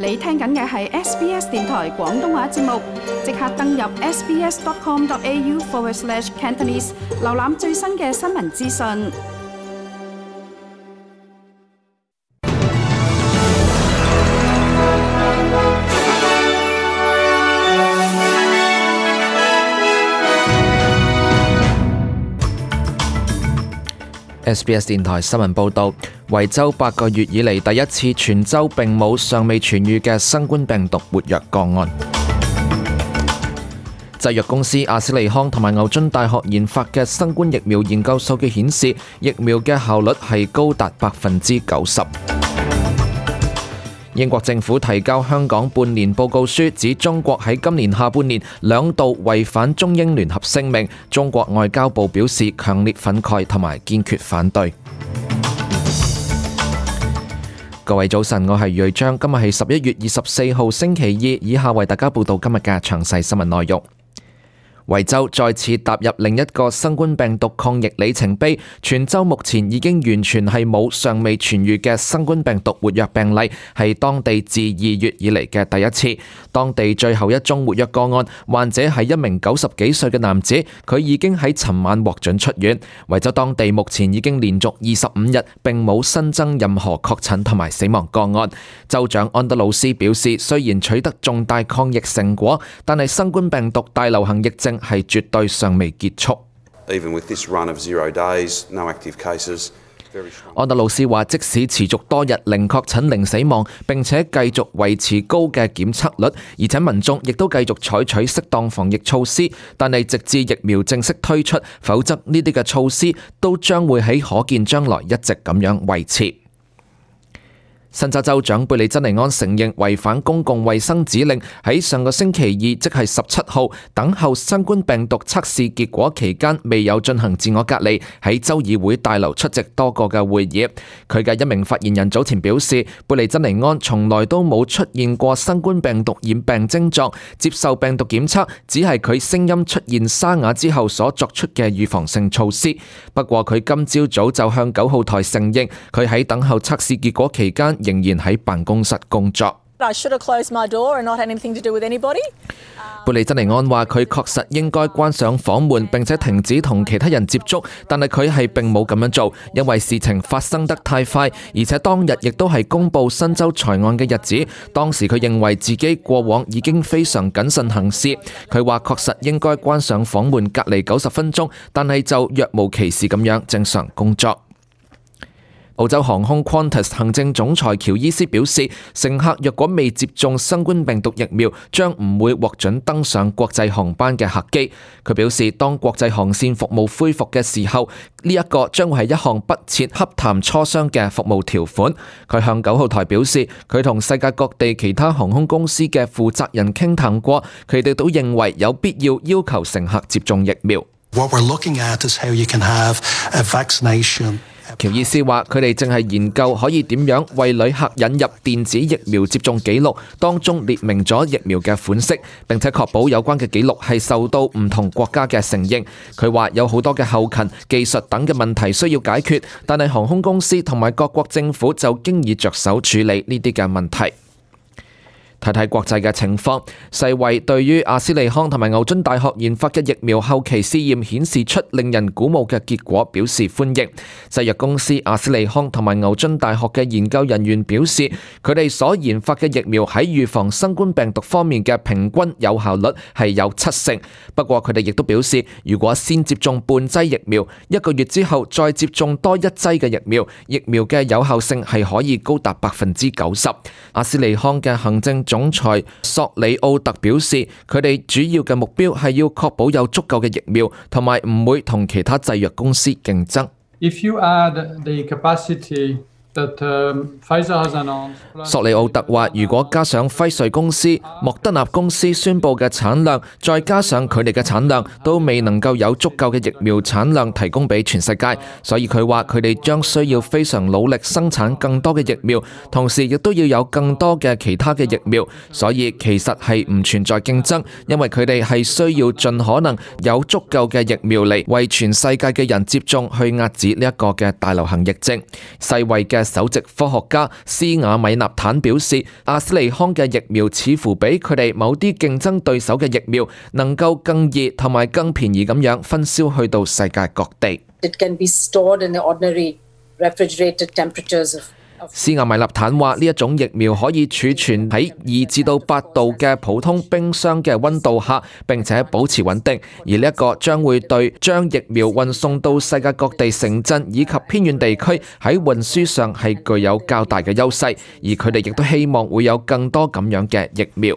你聽緊嘅係 SBS 電台廣東話節目，即刻登入 sbs.com.au/Cantonese 瀏覽最新嘅新聞資訊。SBS 電台新聞報導，維州8個月以嚟第一次全州並冇尚未痊癒嘅新冠病毒活躍個案。製藥公司阿斯利康同埋牛津大學研發嘅新冠疫苗研究數據顯示，疫苗嘅效率係高達90%。英國政府提交香港半年報告書，指中國喺今年下半年2度違反中英聯合聲明。中國外交部表示強烈憤慨同埋堅決反對。各位早晨，我係瑞章，今日係11月24號星期二，以下為大家報道今日嘅詳細新聞內容。維州再次踏入另一個新冠病毒抗疫里程碑，全州目前已經完全係冇尚未痊癒嘅新冠病毒活躍病例，係當地自2月以嚟嘅第一次。當地最後一宗活躍個案，患者係一名90幾歲嘅男子，佢已經喺尋晚獲准出院。維州當地目前已經連續25日並冇新增任何確診同埋死亡個案。州長安德魯斯表示，雖然取得重大抗疫成果，但係新冠病毒大流行疫症係絕對尚未結束。安德魯斯話，即使持續多日零確診零死亡，並且繼續維持高嘅檢測率，而且民眾亦都繼續採取適當防疫措施，但係直至疫苗正式推出，否則呢啲嘅措施都將會喺可見將來一直咁樣維持。新州州長貝利珍尼安承認違反公共衛生指令，喺上個星期二，即係17號，等候新冠病毒測試結果期間，未有進行自我隔離，喺州議會大樓出席多個嘅會議。佢嘅一名發言人早前表示，貝利珍尼安從來都冇出現過新冠病毒染病症狀，接受病毒檢測只係佢聲音出現沙啞之後所作出嘅預防性措施。不過佢今朝早就向9號台承認，佢喺等候測試結果期間仍然喺辦公室工作。貝利珍尼安話，佢確實應該關上房門並且停止同其他人接觸，但係佢係並冇咁樣做，因為事情發生得太快，而且當日亦都係公布新州財案嘅日子。當時佢認為自己過往已經非常謹慎行事。佢話確實應該關上房門隔離90分鐘，但係就若無其事咁樣正常工作。澳洲航空 Qantas 行政總裁喬伊斯表示，乘客若果未接種新冠病毒疫苗，將唔會獲准登上國際航班嘅客機。佢表示，當國際航線服務恢復嘅時候，呢一個將會係一項不設洽談磋商嘅服務條款。佢向9號台表示，佢同世界各地其他航空公司嘅負責人傾談過，佢哋都認為有必要要求乘客接種疫苗。喬伊斯話，佢哋正係研究可以點樣為旅客引入電子疫苗接種記錄，當中列明咗疫苗嘅款式，並且確保有關嘅記錄係受到唔同國家嘅承認。佢話有好多嘅後勤、技術等嘅問題需要解決，但係航空公司同埋各國政府就經已着手處理呢啲嘅問題。睇睇國際嘅情況，世衛對於阿斯利康同埋牛津大學研發嘅疫苗後期試驗顯示出令人鼓舞嘅結果，表示歡迎。製藥公司阿斯利康同埋牛津大學嘅研究人員表示，佢哋所研發嘅疫苗喺預防新冠病毒方面嘅平均有效率係有70%。不過佢哋亦都表示，如果先接種半劑疫苗，1個月之後再接種多1劑嘅疫苗，疫苗嘅有效性係可以高達90%。阿斯利康嘅行政總裁索里奧特表示，佢哋主要嘅目標係要確保有足夠嘅疫苗，同埋唔會同其他製藥公司競爭。索里奧特話，如果加上輝瑞公司、莫德納公司宣佈嘅產量，再加上佢哋嘅產量，都未能夠有足夠嘅疫苗產量提供俾全世界，所以佢話佢哋將需要非常努力生產更多嘅疫苗，同時亦都要有更多嘅其他嘅疫苗，所以其實係唔存在競爭，因為佢哋係需要盡可能有足夠嘅疫苗嚟為全世界嘅人接種，去遏止呢一個嘅大流行疫症。世衛嘅嘅首席科學家斯瓦米納坦表示，阿斯利康嘅疫苗似乎比佢哋某啲競爭對手嘅疫苗能夠更易同埋更便宜咁樣分銷去到世界各地。It can be stored in the ordinary refrigerated temperatures of斯瓦米納坦話：呢一種疫苗可以儲存喺2至到8度嘅普通冰箱嘅溫度下，並且保持穩定。而呢一個將會對將疫苗運送到世界各地城鎮以及偏遠地區喺運輸上係具有較大嘅優勢。而佢哋亦都希望會有更多咁樣嘅疫苗。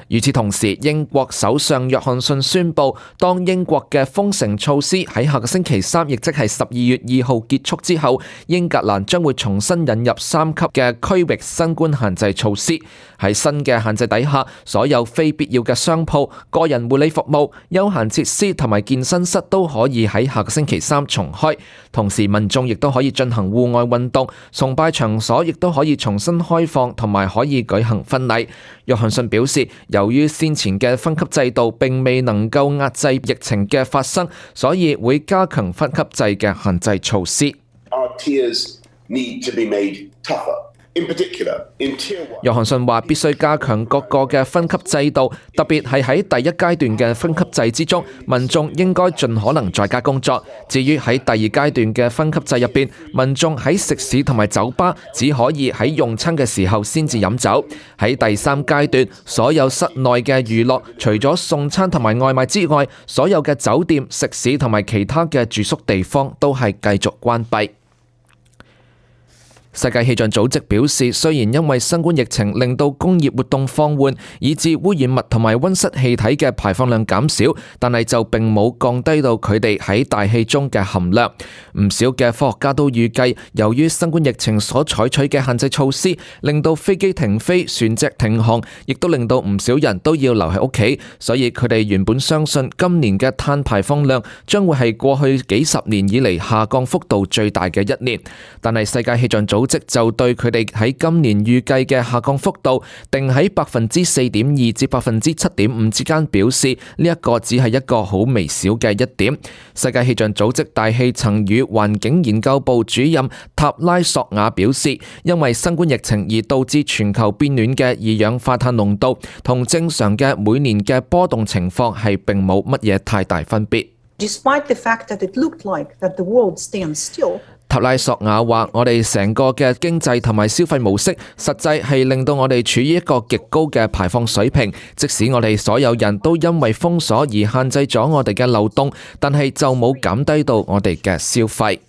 與此同時，英國首相約翰遜宣布，當英國嘅封城措施喺下個星期3，亦即係12月2號結束之後，英格蘭將會重新引入3級嘅區域新冠限制措施。喺新嘅限制底下，所有非必要嘅商鋪、個人護理服務、休閒設施同埋健身室都可以喺下個星期3重開。同時，民眾亦都可以進行戶外運動，崇拜場所亦都可以重新開放，同埋可以舉行婚禮。約翰遜表示，由於先前嘅分級制度並未能夠壓制疫情嘅發生，所以會加強分級制嘅限制措施。約翰遜話必須加強各個嘅分級制度，特別係喺第一階段嘅分級制之中，民眾應該盡可能在家工作。至於喺第二階段嘅分級制入邊，民眾喺食肆同埋酒吧只可以喺用餐嘅時候先至飲酒。喺第三階段，所有室內嘅娛樂，除咗送餐同埋外賣之外，所有嘅酒店、食肆同埋其他嘅住宿地方都係繼續關閉。世界氣象組織表示，雖然因為新冠疫情令到工業活動放緩，以致污染物同埋溫室氣體嘅排放量減少，但係就並冇降低到佢哋喺大氣中嘅含量。唔少嘅科學家都預計，由於新冠疫情所採取嘅限制措施，令到飛機停飛、船隻停航，亦都令到唔少人都要留喺屋企，所以佢哋原本相信今年嘅碳排放量將會係過去幾十年以嚟下降幅度最大嘅一年。但係世界氣象組織就對佢哋喺今年預計嘅下降幅度定喺4.2%至7.5%之間，表示呢一個只係一個好微小嘅一點。世界氣象組織大氣層與環境研究部主任塔拉索瓦表示，因為新冠疫情而導致全球變暖嘅二氧化碳濃度同正常嘅每年嘅波動情況係並冇乜嘢太大分別。Despite the fact that it looked like that the world stands still,塔拉索瓦話：我哋成個嘅經濟同埋消費模式，實際係令到我哋處於一個極高嘅排放水平。即使我哋所有人都因為封鎖而限制咗我哋嘅流動，但係就冇減低到我哋嘅消費。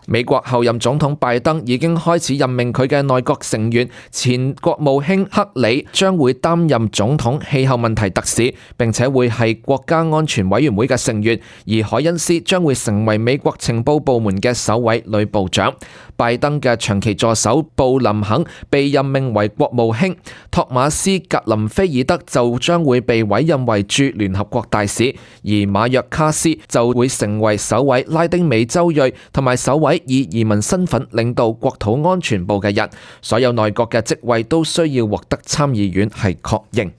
美國後任總統拜登已經開始任命佢嘅內閣成員，前國務卿克里將會擔任總統氣候問題特使，並且會係國家安全委員會嘅成員，而凱恩斯將會成為美國情報部門嘅首位女部長。拜登嘅長期助手布林肯被任命為國務卿，托馬斯格林菲爾德就將會被委任為駐聯合國大使，而馬約卡斯就會成為首位拉丁美洲裔同埋首位以移民身份領導國土安全部嘅人。所有內閣嘅職位都需要獲得參議院係確認。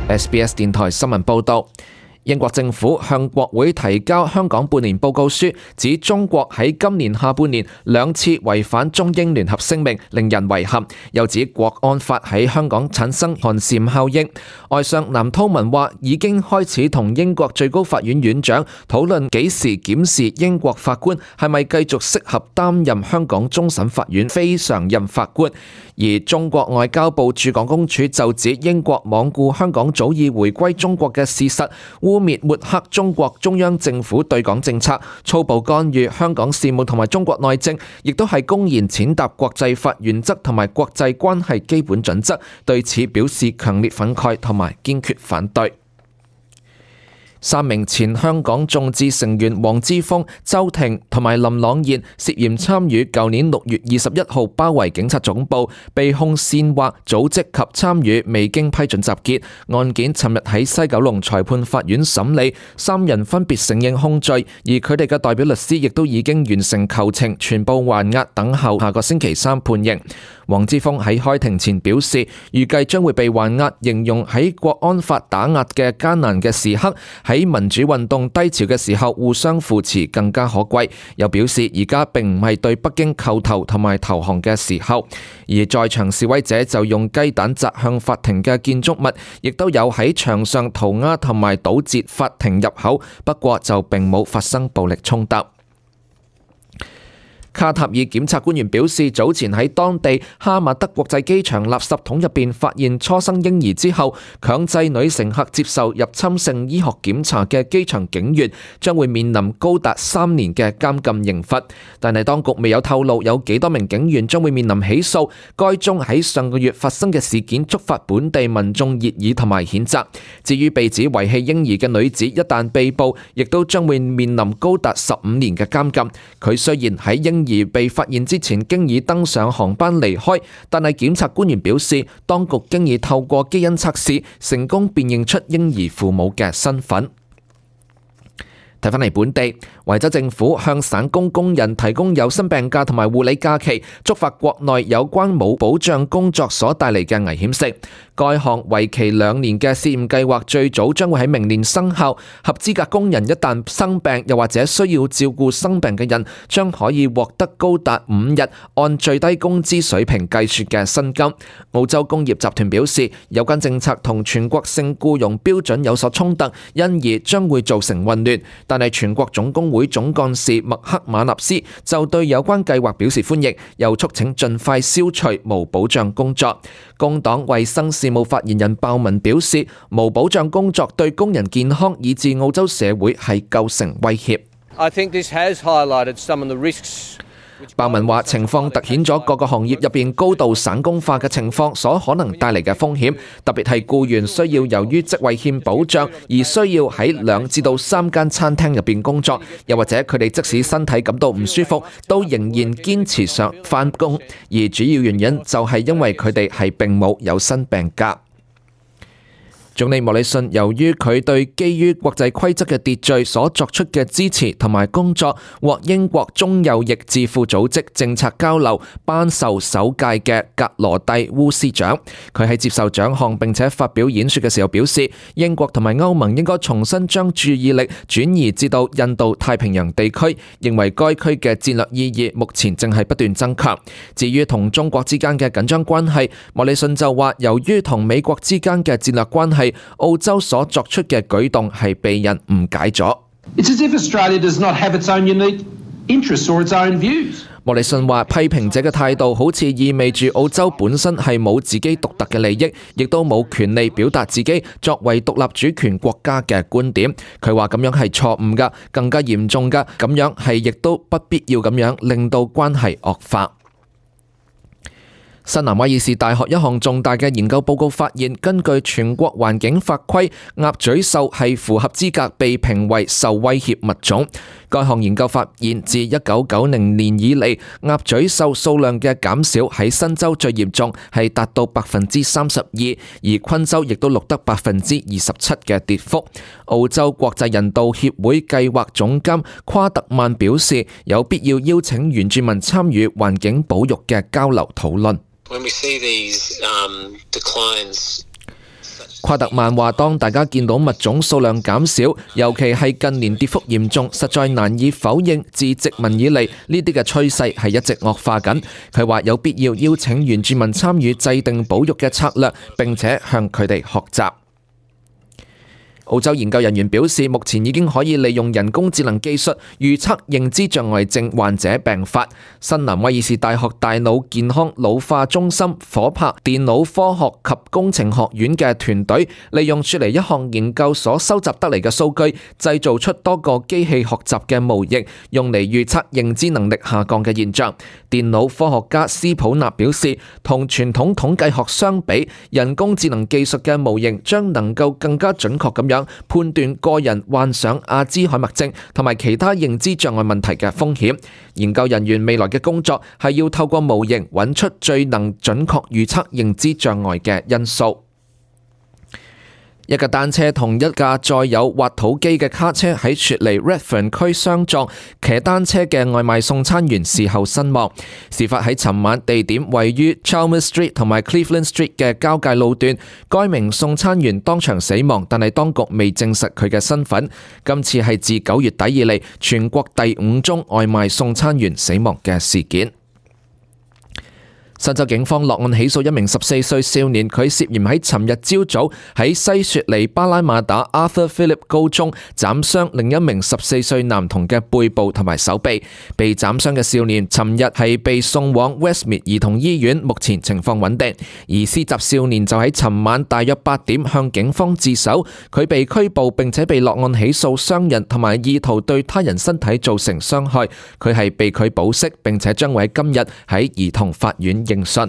SBS 電台新聞報道。英國政府向國會提交香港半年報告書，指中國喺今年下半年2次違反中英聯合聲明，令人遺憾。又指國安法喺香港產生寒蟬效應。外相藍韜文話已經開始同英國最高法院院長討論幾時檢視英國法官係咪繼續適合擔任香港終審法院非常任法官。而中國外交部駐港公署就指英國罔顧香港早已回歸中國嘅事實，污蔑抹黑中國中央政府對港政策，粗暴干預香港事務同埋中國內政，亦都係公然踐踏國際法原則同埋國際關係基本準則，對此表示強烈憤慨同埋堅決反對。3名前香港眾志成員黃之鋒、周庭同埋林朗彥涉嫌參與舊年6月21號包圍警察總部，被控煽惑、組織及參與未經批准集結。案件尋日喺西九龍裁判法院審理，3人分別承認控罪，而佢哋嘅代表律師亦都已經完成求情，全部還押等候下個星期3判刑。黃之鋒喺開庭前表示，預計將會被還押，形容喺國安法打壓嘅艱難嘅時刻，喺喺民主運動低潮嘅時候互相扶持更加可貴。又表示而家並唔係對北京叩頭同埋投降嘅時候。而在場示威者就用雞蛋砸向法庭嘅建築物，亦都有喺牆上塗鴉同埋堵截法庭入口，不過就並冇發生暴力衝突。卡塔爾檢察官員表示，早前喺當地哈馬德國際機場垃圾桶入邊發現初生嬰兒之後，強制女乘客接受入侵性醫學檢查嘅機場警員將會面臨高達3年嘅監禁刑罰。但係當局未有透露有幾多名警員將會面臨起訴。該宗喺上個月發生嘅事件觸發本地民眾熱議同埋譴責。至於被指遺棄嬰兒嘅女子，一旦被捕，亦都將會面臨高達15年嘅監禁。佢雖然喺嬰兒被發現之前經已登上航班離開，但係檢察官員表示，當局經已透過基因測試成功辨認出嬰兒父母嘅身份。睇返嚟本地，維州政府向省工人提供有薪病假同埋護理假期，觸發國內有關冇保障工作所帶嚟嘅危險性。該項為期2年嘅試驗計劃最早將會喺明年生效。合資格工人一旦生病，又或者需要照顧生病嘅人，將可以獲得高達5日按最低工資水平計算嘅薪金。澳洲工業集團表示，有關政策同全國性僱傭標準有所衝突，因而將會造成混亂。但係全國總工會總幹事麥克馬納斯就對有關計劃表示歡迎，又促請盡快消除無保障工作。工黨衛生事務發言人鮑文表示，無保障工作對工人健康以至澳洲社會係構成威脅。鮑文話，情況突顯咗各個行業入邊高度省工化嘅情況所可能帶嚟嘅風險，特別係僱員需要由於職位欠保障而需要喺2至3間餐廳入邊工作，又或者佢哋即使身體感到唔舒服，都仍然堅持上返工，而主要原因就係因為佢哋係並冇有薪病假。總理莫里遜由於佢對基於國際規則嘅秩序所作出嘅支持同埋工作，獲英國中右翼智庫組織政策交流頒授首屆嘅格羅蒂烏斯獎。佢喺接受獎項並且發表演說嘅時候表示，英國同埋歐盟應該重新將注意力轉移至到印度太平洋地區，認為該區嘅戰略意義目前正係不斷增強。至於同中國之間嘅緊張關係，莫里遜就話，由於同美國之間嘅戰略關係，澳洲所作出嘅舉動係被人誤解咗。莫里遜話，批評者嘅態度好似意味住澳洲本身係冇自己獨特嘅利益，亦都冇權利表達自己作為獨立主權國家嘅觀點。佢話咁樣係錯誤㗎，更加嚴重㗎，咁樣係亦都不必要咁樣令到關係惡化。新南威爾士大學一項重大嘅研究報告發現，根據全國環境法規，鴨嘴獸係符合資格被評為受威脅物種。該項研究發現，自1990年以嚟，鴨嘴獸數量嘅減少喺新州最嚴重，係達到32%，而昆州亦都錄得27%嘅跌幅。澳洲國際人道協會計劃總監夸特曼表示，有必要邀請原住民參與環境保育嘅交流討論。夸特曼話，當大家見到物種數量減少，尤其係近年跌幅嚴重，實在難以否認自殖民以嚟呢啲嘅趨勢係一直惡化緊。佢話有必要邀請原住民參與制定保育嘅策略，並且向佢哋學習。澳洲研究人員表示，目前已經可以利用人工智能技術預測認知障礙症患者病發。新南威爾士大學大腦健康老化中心夥拍電腦科學及工程學院嘅團隊，利用雪梨一項研究所收集得嚟嘅數據，製造出多個機器學習嘅模型，用嚟預測認知能力下降嘅現象。電腦科學家斯普納表示，同傳統統計學相比，人工智能技術嘅模型將能夠更加準確咁樣判斷個人患上阿茲海默症同埋其他認知障礙問題嘅風險。研究人員未來嘅工作係要透過模型揾出最能準確預測認知障礙嘅因素。一架單車同一架載有挖土機嘅卡車喺雪梨 Redfern 區相撞，騎單車嘅外賣送餐員事後身亡。事發喺尋晚，地點位於 Chalmers Street 同埋 Cleveland Street 嘅交界路段。該名送餐員當場死亡，但係當局未證實佢嘅身份。今次係自9月底以嚟全國第5宗外賣送餐員死亡嘅事件。新州警方落案起訴一名14歲少年，佢涉嫌喺尋日朝早喺西雪梨巴拉馬打 Arthur Phillip 高中斬傷另一名14歲男童嘅背部同埋手臂。被斬傷嘅少年尋日係被送往 Westmead 兒童醫院，目前情況穩定。而施襲少年就喺尋晚大約8點向警方自首，佢被拘捕並且被落案起訴傷人同埋意圖對他人身體造成傷害。佢係被拒保釋，並且將會喺今日喺兒童法院應訊。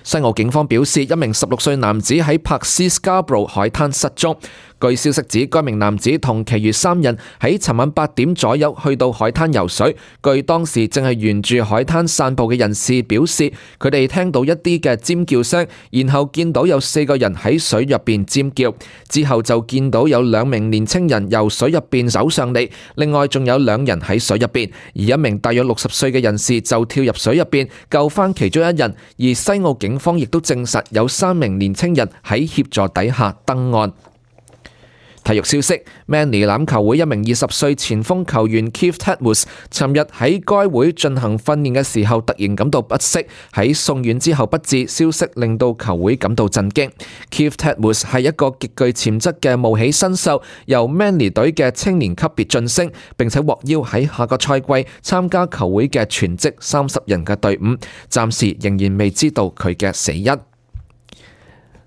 西澳警方表示，一名16歲男子喺柏斯 Scarborough 海灘失蹤。據消息指，該名男子同其餘3人喺尋晚8點左右去到海灘游水。據當時正係沿住海灘散步嘅人士表示，佢哋聽到一啲嘅尖叫聲，然後見到有4個人喺水入邊尖叫，之後就見到有2名年青人由水入邊走上嚟，另外仲有2人喺水入邊，而一名大約60歲嘅人士就跳入水入邊救翻其中1人。而西澳警方亦都證實有3名年青人喺協助底下登岸。體育消息 ，Manly 欖球會一名20歲前鋒球員 Keith Tedmus 尋日喺該會進行訓練嘅時候突然感到不適，喺送院之後不治，消息令到球會感到震驚。Keith Tedmus 係一個極具潛質嘅冒起新秀，由 Manly 隊嘅青年級別晉升，並且獲邀喺下個賽季參加球會嘅全職30人嘅隊伍，暫時仍然未知道佢嘅死因。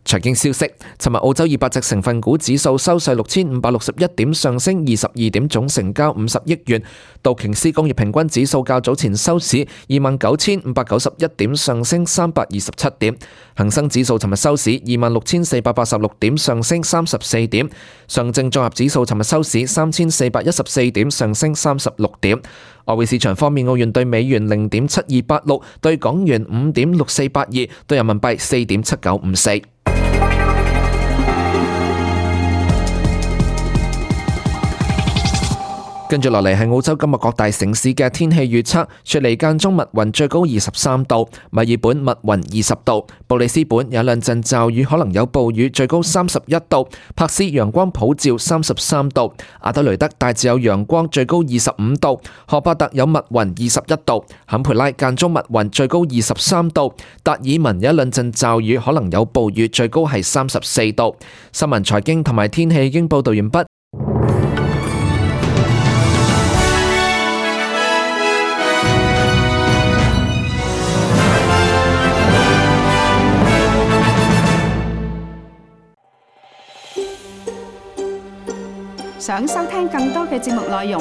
財經消息，尋日澳洲200隻成分股指數收市6561點，上升22點，總成交50億元。道瓊斯工業平均指數較早前收市29591點，上升327點。恒生指數尋日收市26486點，上升34點。上證綜合指數尋日收市3414點，上升36點。外匯市場方面，澳元對美元0.7286，對港元5.6482，對人民幣4.7954。跟住落嚟係澳洲今日各大城市嘅天氣預測：雪梨間中密雲，最高23度；墨爾本密雲20度；布里斯本有2陣驟雨，可能有暴雨，最高31度；柏斯陽光普照33度；阿德雷德大致有陽光，最高25度；荷伯特有密雲21度；坎培拉間中密雲，最高23度；達爾文有2陣驟雨，可能有暴雨，最高係34度。新聞、財經同埋天氣已經報道完畢。想收聽更多嘅節目內容，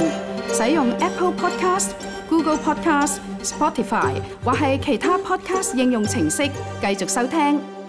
使用 Apple Podcast、Google Podcast、Spotify 或係其他 Podcast 應用程式繼續收聽。